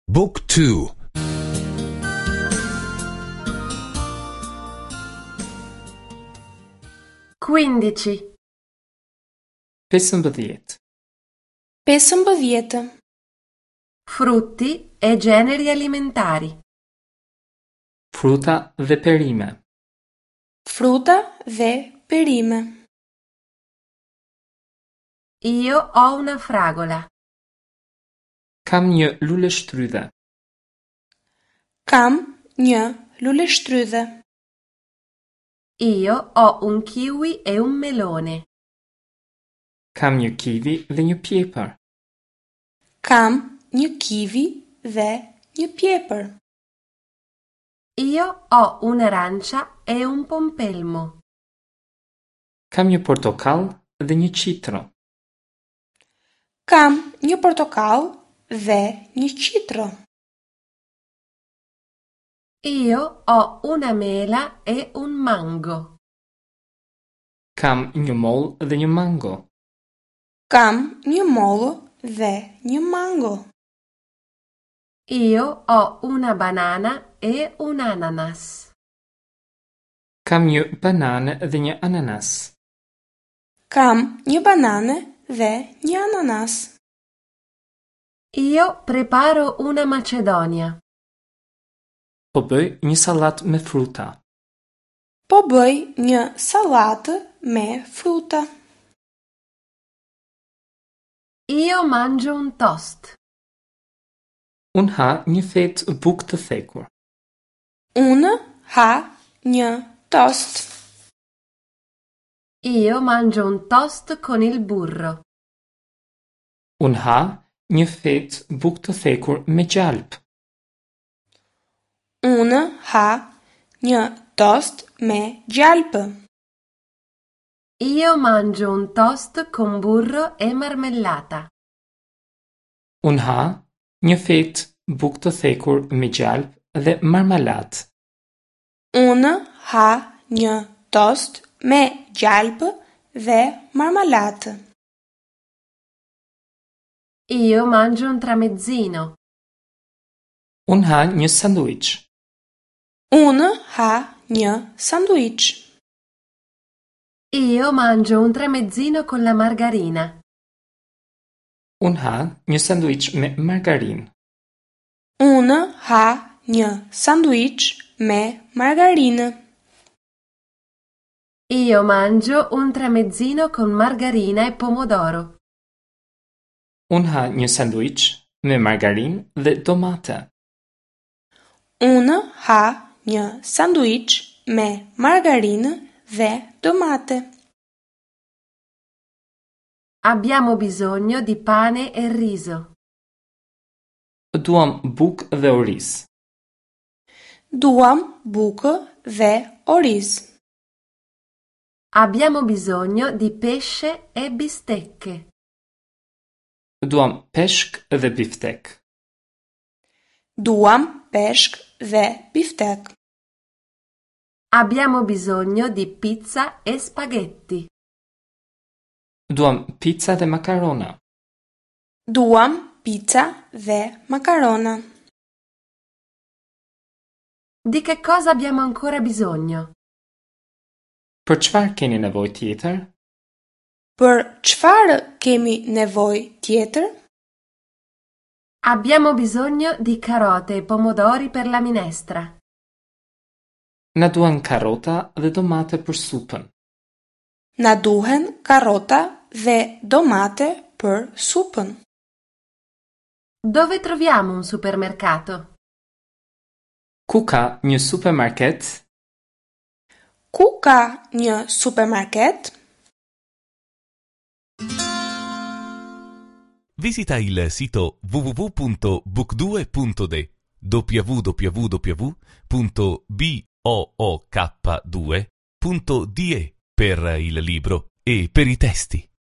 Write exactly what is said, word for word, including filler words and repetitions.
Book two. Quindici. Pesëmbëdhjetë. Pesëmbëdhjetë. Frutti e generi alimentari. Fruta dhe perime. Fruta dhe perime. Io ho una fragola. Kam një luleshtrydhe. Kam një luleshtrydhe. Io ho un kiwi e un melone. Kam një kiwi dhe një pjepër. Kam një kiwi dhe një pjepër. Io ho un'arancia e un pompelmo. Kam një portokall dhe një qitro. Kam një portokall dhe një qitro. Io ho una mela e un mango. Kam një mollë dhe një mango. Kam një mollë dhe një mango. Io ho una banana e un ananas. Kam një banane dhe një ananas. Kam një banane dhe një ananas. Io preparo una macedonia. Po bëj një sallatë me fruta. Po bëj një sallatë me fruta. Io mangio un toast. Unë ha një fetë bukë të thekur. Unë ha një toast. Io mangio un toast con il burro. Unë ha një fetë bukë të thekur me gjalp. Unë ha një toast me gjalpë. Io mangio un toast con burro e marmellata. Unë ha një fetë bukë të thekur me gjalp dhe marmalatë. Unë ha një toast me gjalpë dhe marmalatë. Io mangio un tramezzino. Unë ha një sanduiç. Unë ha një sanduiç. Io mangio un tramezzino con la margarina. Unë ha një sanduiç me margarinë. Unë ha një sanduiç me margarinë. Io mangio un tramezzino con margarina e pomodoro. Unë ha një sanduiç me margarinë dhe domate. Unë ha një sanduiç me margarinë dhe domate. Abbiamo bisogno di pane e riso. Duam bukë dhe oriz. Duam bukë dhe oriz. Abbiamo bisogno di pesce e bistecche. Duam peshk dhe biftek. Duam peshk dhe biftek. Abbiamo bisogno di pizza e spaghetti. Duam pizza dhe makarona. Duam pizza dhe makarona. Di che cosa abbiamo ancora bisogno? Për çfarë keni nevojë tjetër? Për çfarë kemi nevojë tjetër? Abbiamo bisogno di carote e pomodori per la minestra. Na duhen karota dhe domate për supën. Na duhen karota dhe domate për supën. Dove troviamo un supermercato? Ku ka një supermarket? Ku ka një supermarket? Visita il sito w w w punto book due punto de w w w punto b o o k due punto d e per il libro e per i testi.